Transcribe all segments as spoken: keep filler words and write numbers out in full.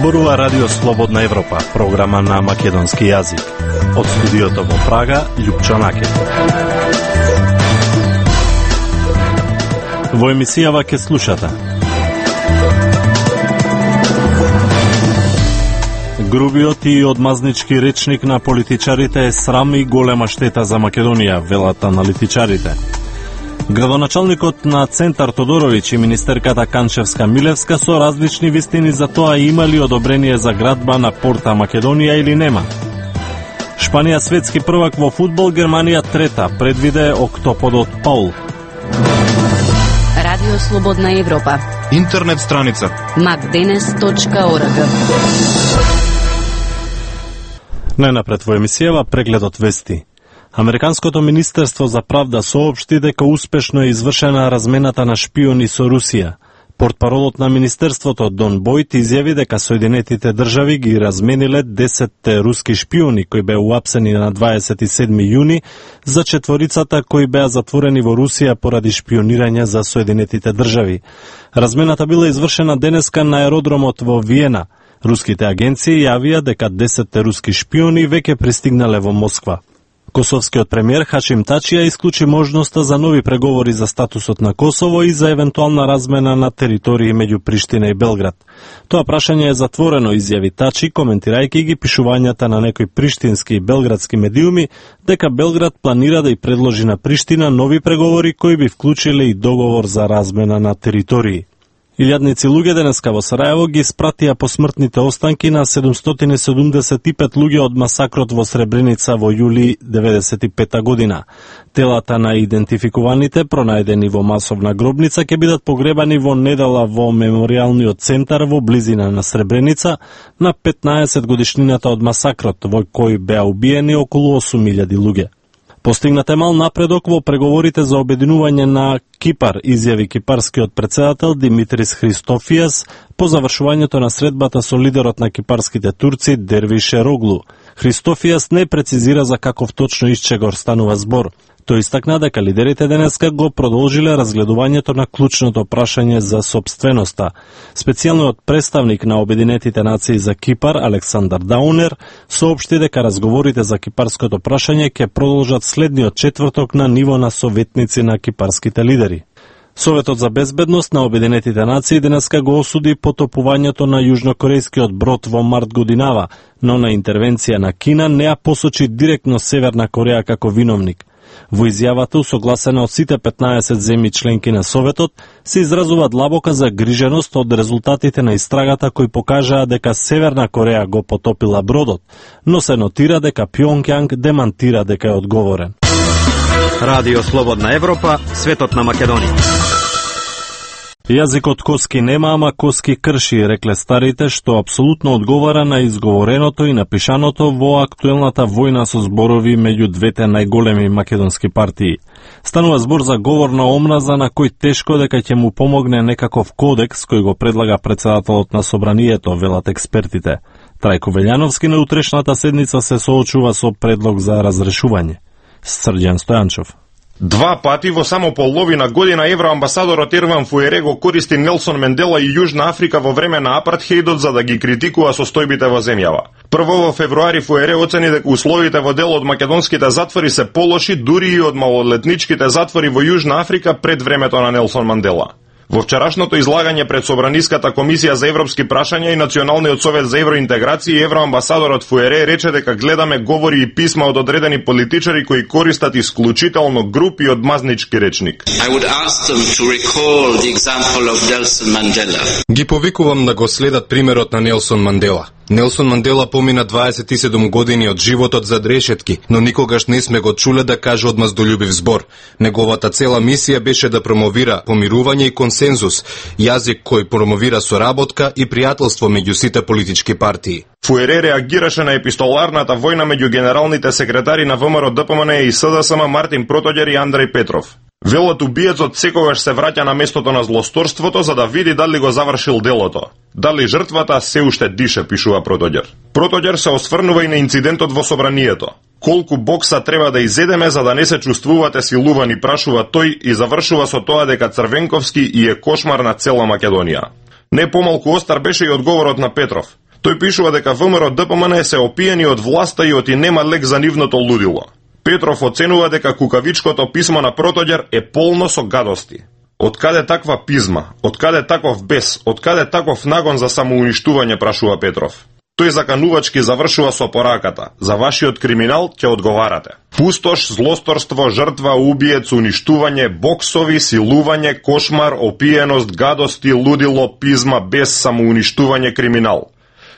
Зборува Радио Слободна Европа, програма на македонски јазик. Од студиото во Прага, Љупчо Накет. Во емисијава ке слушате: грубиот и одмазнички речник на политичарите е срам и голема штета за Македонија, велат аналитичарите. Градоначалникот на Центар Тодоровиќ и министерката Канчевска-Милевска со различни вистини за тоа имали одобрение за градба на Порта Македонија или нема. Шпанија светски првак во фудбал, Германија трета, предвиде октоподот Паул. Радио Слободна Европа. Интернет страница макденес точка орг. Најнапред во емисијава прегледот вести. Американското министерство за правда соопшти дека успешно е извршена размената на шпиони со Русија. Портпаролот на министерството Дон Бојт изјави дека Соединетите држави ги размениле десет руски шпиони кои беа уапсени на дваесет и седми јуни за четворицата кои беа затворени во Русија поради шпионирање за Соединетите држави. Размената била извршена денеска на аеродромот во Виена. Руските агенции јавија дека десет руски шпиони веќе пристигнале во Москва. Косовскиот премиер Хашим Тачи ја исклучи можноста за нови преговори за статусот на Косово и за евентуална размена на територии меѓу Приштина и Белград. Тоа прашање е затворено, изјави Тачи, коментирајќи ги пишувањата на некои приштински и белградски медиуми дека Белград планира да ја предложи на Приштина нови преговори кои би вклучиле и договор за размена на територии. Илјадници луѓе денеска во Сараево ги спратија посмртните останки на седумстотини седумдесет и пет луѓе од масакрот во Сребреница во јули деветдесет и пета година. Телата на идентификуваните, пронајдени во масовна гробница, ќе бидат погребани во недела во меморијалниот центар во близина на Сребреница на петнаесет годишнината од масакрот, во кој беа убиени околу осум илјади луѓе. Постигнат е мал напредок во преговорите за обединување на Кипар, изјави кипарскиот председател Димитрис Христофијас по завршувањето на средбата со лидерот на кипарските турци Дервиш Ероглу. Христофијас не прецизира за каков точно исчегор станува збор. Тој истакна дека лидерите денеска го продолжиле разгледувањето на клучното прашање за сопственоста. Специјалниот представник на Обединетите нации за Кипар, Александар Даунер, соопшти дека разговорите за кипарското прашање ќе продолжат следниот четврток на ниво на советници на кипарските лидери. Советот за безбедност на Обединетите нации денеска го осуди потопувањето на јужнокорејскиот брод во март годинава, но на интервенција на Кина не ја посочи директно Северна Кореја како виновник. Во изјавата, усогласена од сите петнаесет земји членки на Советот, се изразува длабока загриженост од резултатите на истрагата кои покажаа дека Северна Кореја го потопила бродот, но се нотира дека Пјонгјанг демантира дека е одговорен. Радио Слободна Европа, светот на Македонија. Јазикот коски нема, ама коски крши, рекле старите, што апсолутно одговара на изговореното и напишаното во актуелната војна со зборови меѓу двете најголеми македонски партии. Станува збор за говор на омраза на кој тешко дека ќе му помогне некаков кодекс кој го предлага председателот на собранието, велат експертите. Трајко Велјановски на утрешната седница се соочува со предлог за разрешување. Срđan Стојанчов. Два пати во само половина година евроамбасадорот Ерван Фуере го користи Нелсон Мендела и Јужна Африка во време на апартхеидот за да ги критикува состојбите во земјава. Прво во февруари Фуере оцени дека условите во дел од македонските затвори се полоши дури и од малолетничките затвори во Јужна Африка пред времето на Нелсон Мандела. Во вчерашното излагање пред Собраниската комисија за европски прашања и Националниот совет за евроинтеграција, евроамбасадорот Фуере рече дека гледаме говори и писма од одредени политичари кои користат исклучително груп и одмазнички речник. Ги повикувам да го следат примерот на Нелсон Мандела. Нелсон Мандела помина дваесет и седум години од животот зад решетки, но никогаш не сме го чуле да каже одмаздолюбив збор. Неговата цела мисија беше да промовира помирување и консензус, јазик кој промовира соработка и пријателство меѓу сите политички партии. Фуере реагираше на епистоларната војна меѓу генералните секретари на ВМРО Д П М Н и С Д С М Мартин Протоѓер и Андреј Петров. Велот убиецот секогаш се враќа на местото на злосторството за да види дали го завршил делото. Дали жртвата се уште дише, пишува Протоѓер. Протоѓер се осврнува и на инцидентот во собранието. Колку бокса треба да изедеме за да не се чувствувате силувани, прашува тој и завршува со тоа дека Црвенковски и е кошмар на цела Македонија. Не помалку остар беше и одговорот на Петров. Тој пишува дека ВМРО Д П М Н се опиени од власта и оти нема лек за нивното лудило. Петров оценува дека кукавичкото писмо на Протоѓер е полно со гадости. Откаде таква пизма? Откаде таков бес? Откаде таков нагон за самоуништување, прашува Петров. Тој заканувачки завршува со пораката: за вашиот криминал ќе одговарате. Пустош, злосторство, жртва, убиец, уништување, боксови, силување, кошмар, опиеност, гадости, лудило, пизма, бес, самоуништување, криминал.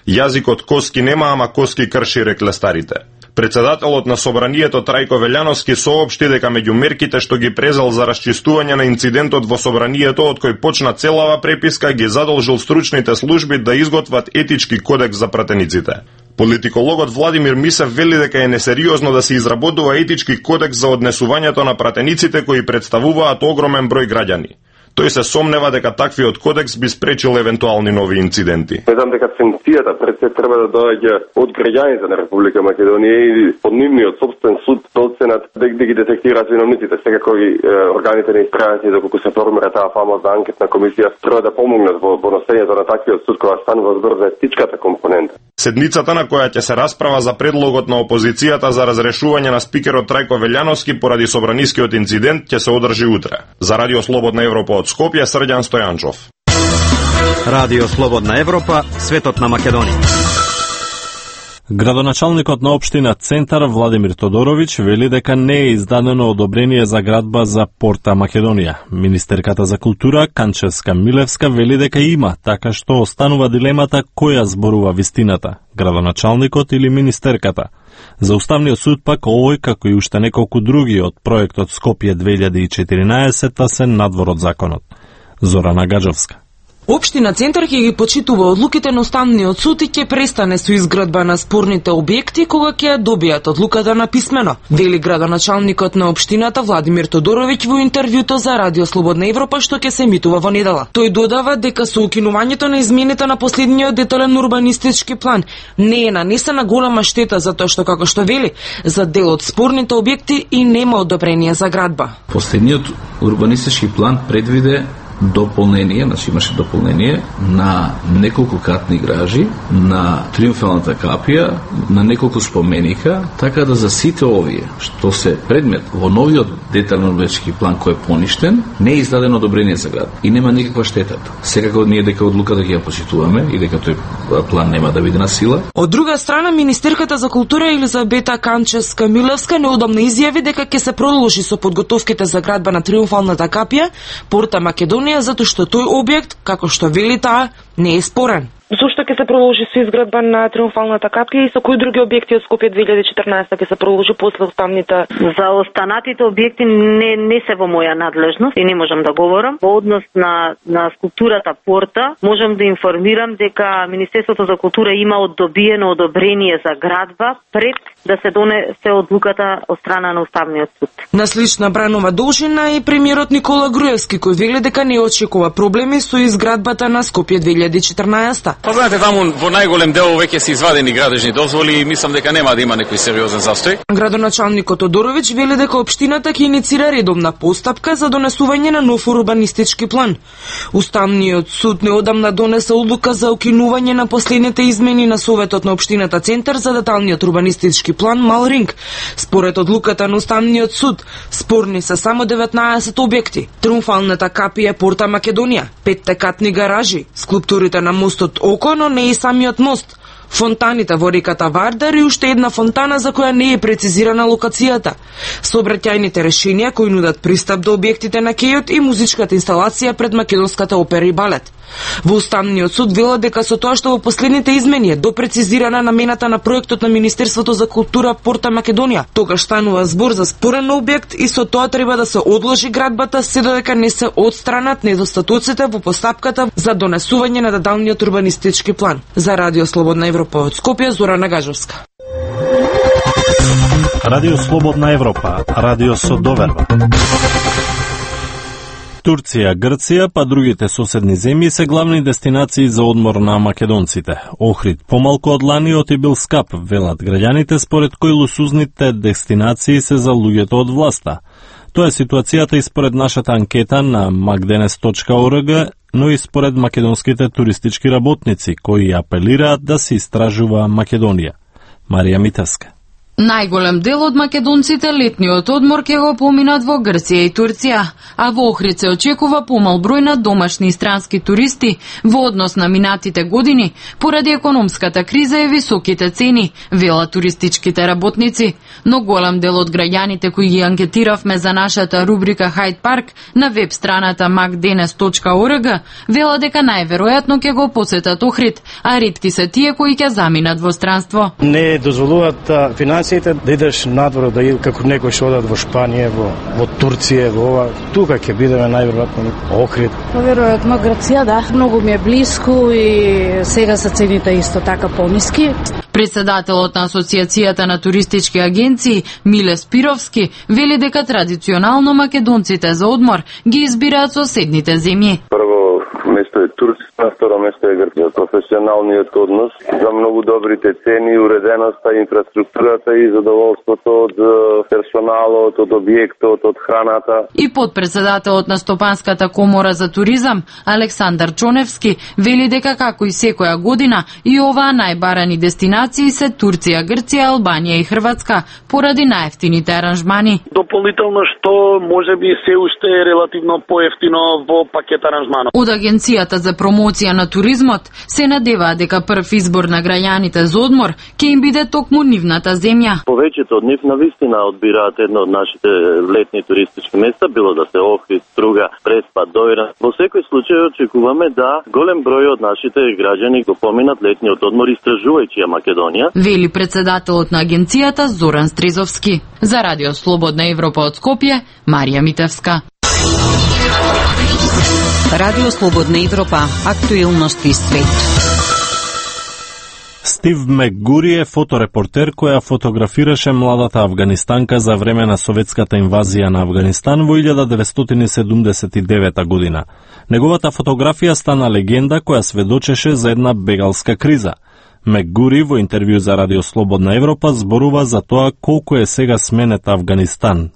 Јазикот коски нема, ама коски крши, рекле старите. Председателот на собранието Трајко Велјановски соопшти дека меѓу мерките што ги презел за расчистување на инцидентот во собранието, од кој почна целава преписка, ги задолжил стручните служби да изготват етички кодекс за пратениците. Политикологот Владимир Мисев вели дека е несериозно да се изработува етички кодекс за однесувањето на пратениците кои представуваат огромен број граѓани. Тој се сомнева дека таквиот кодекс би спречил евентуални нови инциденти. Медам дека санкцијата пред се треба да доаѓа од граѓаните на Република Македонија и од нивниот собствен суд да оценат да, да ги детектираат виновниците. Секако и е, органите на истражање, доколку се формира таа фамозна анкетна комисија, треба да помогнат во, во носењето на таквиот суд кога станува збор за етичката компонента. Седмицата на која ќе се расправа за предлогот на опозицијата за разрешување на спикерот Трајко Велјановски поради собранискиот инцидент ќе се одржи утре. За Радио Слободна Европа од Скопје, Срđan Стојанчов. Радио Слободна Европа, светот на Македонија. Градоначалникот на општина Центар Владимир Тодорович вели дека не е издадено одобрение за градба за Порта Македонија. Министерката за култура Канчевска Милевска вели дека има, така што останува дилемата која зборува вистината, градоначалникот или министерката. За Уставниот суд пак овој, како и уште неколку други од проектот Скопје две илјади и четиринаесет се надвор од законот. Зорана Гаджовска. Општина Центар ќе ги почитува одлуките на Уставниот суд и ќе престане со изградба на спорните објекти кога ќе добијат одлуката на писмено, вели градоначалникот на општината Владимир Тодорович во интервјуто за Радио Слободна Европа што ќе се емитува во недела. Тој додава дека со укинувањето на измените на последниот детален урбанистички план не е нанесена голема штета затоа што, како што вели, за дел од спорните објекти и нема одобрение за градба. Последниот урбанистички план предвиде дополнение, значи имаше дополнение на неколку катни гражи, на Триумфалната капија, на неколку споменика, така да за сите овие што се предмет во новиот детален урбанистички план кој е поништен, не е издадено одобрение за град и нема никаква штета. Секако ние дека одлуката ќе ја почитуваме и дека тој план нема да биде на сила. Од друга страна, Министерката за култура Елизабета Канчевска Милевска неодамна изјави дека ќе се продолжи со подготовките за градба на Триумфалната капија, Порта Македонија, затоа што тој објект, како што вели таа, не е спорен. Зошто ќе се продолжи со изградба на Триумфалната капија и со кои други објекти од Скопје две илјади и четрнаесета ќе се продолжи после уставните? За останатите објекти не не се во моја надлежност и не можам да говорам. Во однос на на скулптурата Порта, можам да информирам дека Министерството за култура има одобиено одобрение за градба пред да се донесе одлуката од страна на Уставниот суд. На слична бранова должина и премиерот Никола Груевски, кој вели дека не очекува проблеми со изградбата на Скопје две илјади и четрнаесета. Па знаете, таму во најголем дел веќе се извадени градежни дозволи и мислам дека нема да има некој сериозен застој. Градоначалникот Тодорович вели дека општината ќе иницира редовна постапка за донесување на нов урбанистички план. Уставниот суд неодамна донесе одлука за укинување на последните измени на Советот на општината Центар за деталниот урбанистички план Малринг. Според одлуката на Уставниот суд, спорни се само деветнаесет објекти: Триумфалната капија, Порта Македонија, петте катни гаражи, скулптурите на мостот Око, но не и самиот мост, фонтаните во реката Вардар и уште една фонтана за која не е прецизирана локацијата, сообраќајните решенија кои нудат пристап до објектите на кејот и музичката инсталација пред Македонската опера и балет. Во Уставниот суд велат дека со тоа што во последните измени е допрецизирана намената на проектот на Министерството за култура Порта Македонија, тогаш станува збор за спорен објект и со тоа треба да се одложи градбата се додека не се отстранат недостатоците во постапката за донесување на деталниот урбанистички план. За Радио Слободна Европа од Скопје, Зорана Гаджовска. Радио Слободна Европа, радио со доверба. Турција, Грција, па другите соседни земји се главни дестинации за одмор на македонците. Охрид помалку од лани оти бил скап, велат граѓаните, според кои лусузните дестинации се за луѓето од власта. Тоа е ситуацијата и според нашата анкета на макденес точка орг, но и според македонските туристички работници, кои апелираат да се истражува Македонија. Марија Митевска. Најголем дел од македонците летниот одмор ќе го поминат во Грција и Турција, а во Охрид се очекува помал број на домашни и странски туристи во однос на минатите години поради економската криза и високите цени, велат туристичките работници. Но голем дел од граѓаните кои ги анкетиравме за нашата рубрика Hyde Park на веб страната макденес точка орг велат дека најверојатно ќе го посетат Охрид, а ретки се тие кои ќе заминат во странство. Не дозволуваат финансите да идеш надвор, да и како некој што одат во Шпанија, во, во Турција, во ова. Тука ќе бидеме најверојатно Охрид. Веројатно Грција, да, многу ми е блиску и сега се цените исто така пониски. Председателот на Асоциацијата на туристички агенции Миле Спировски вели дека традиционално македонците за одмор ги избираат соседните земји. Прво место е Турција, на второ место е Грција. Професионалниот однос за многу добрите цени, уреденоста, инфраструктурата и задоволството од персоналот, од објектот, од храната. И подпредседателот на Стопанската комора за туризам Александар Чоневски вели дека како и секоја година и оваа најбарани дестинации се Турција, Грција, Албанија и Хрватска поради најефтините аранжмани. Дополнително што можеби се уште е релативно поевтино во пакет аранжманот. Од Агенцијата за промоција на туризмот се надеваат дека прв избор на граѓаните за одмор ќе им биде токму нивната земја. Повеќето од нив навистина одбираат едно од нашите летни туристички места, било да се Охрид, Струга, Преспа, Дојран. Во секој случај очекуваме да голем број од нашите граѓани го поминат летниот одмор истражувајќи ја Македонија, вели председателот на агенцијата Зоран Стрезовски. За Радио Слободна Европа од Скопје, Марија Митевска. Радио Слободна Европа, актуелности свет. Стив Мекгури е фоторепортер која фотографираше младата афганистанка за време на советската инвазија на Афганистан во илјада деветстотини седумдесет и девета година. Неговата фотографија стана легенда која сведочеше за една бегалска криза. Мекгури во интервју за Радио Слободна Европа зборува за тоа колку е сега сменет Афганистан.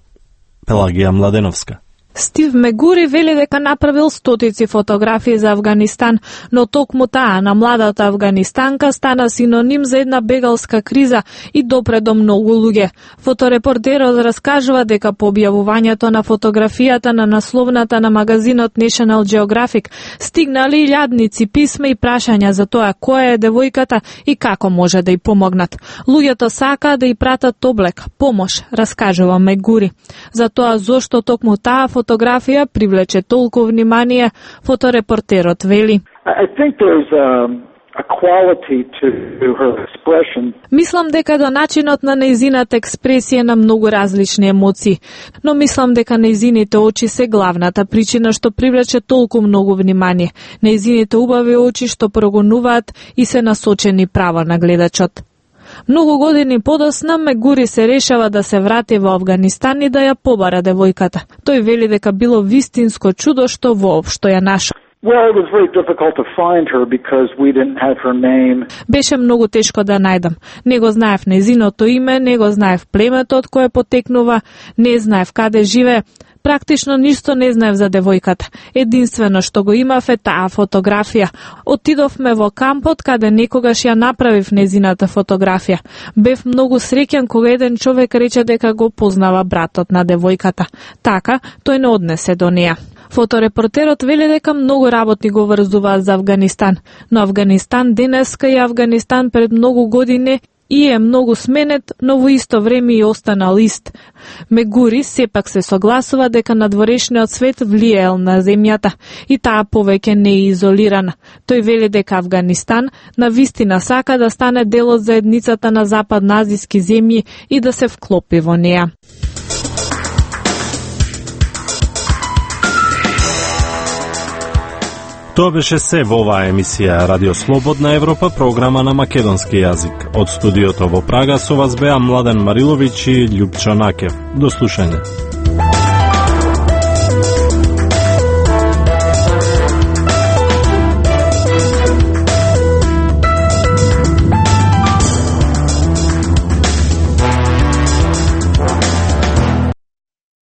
Пелагија Младеновска. Стив Мекгури вели дека направил стотици фотографии за Афганистан, но токму таа на младата афганистанка стана синоним за една бегалска криза и допре до многу луѓе. Фоторепортерот раскажува дека по објавувањето на фотографијата на насловната на магазинот National Geographic стигнали илјадници писма и прашања за тоа која е девојката и како може да й помогнат. Луѓето сакаат да й пратат облек, помош, раскажува Мекгури. За тоа зошто токму таа фотографија привлече толку внимание, фоторепортерот вели. I think there's a, a quality to her expression. Мислам дека до начинот на нејзината експресија на многу различни емоции, но мислам дека нејзините очи се главната причина што привлече толку многу внимание. Нејзините убави очи што прогонуваат и се насочени право на гледачот. Многу години подосна Мекгури се решава да се врати во Афганистан и да ја побара девојката. Тој вели дека било вистинско чудо што воопшто ја нашол. Well, it was very difficult to find her because we didn't have her name. Беше многу тешко да најдам. Не го знаев нејзиното име, не го знаев племето од кое потекнува, не знаев каде живее. Практично ништо не знаев за девојката. Единствено што го имав е таа фотографија. Отидовме во кампот каде некогаш ја направив незината фотографија. Бев многу среќен кога еден човек рече дека го познава братот на девојката. Така, тој не однесе до неа. Фоторепортерот вели дека многу работи го врзуваат за Афганистан, но Афганистан денеска и Афганистан пред многу години и е многу сменет, но во исто време и останал ист. Мекгури сепак се согласува дека надворешниот свет влијаел на земјата и таа повеќе не е изолирана. Тој вели дека Афганистан на вистина сака да стане дел од заедницата на западноазиски земји и да се вклопи во неа. Тоа беше се во оваа емисија Радио Слободна Европа, програма на македонски јазик. Од студиото во Прага со вас беа Младен Мариловиќ и Љупчо Накев. До слушање.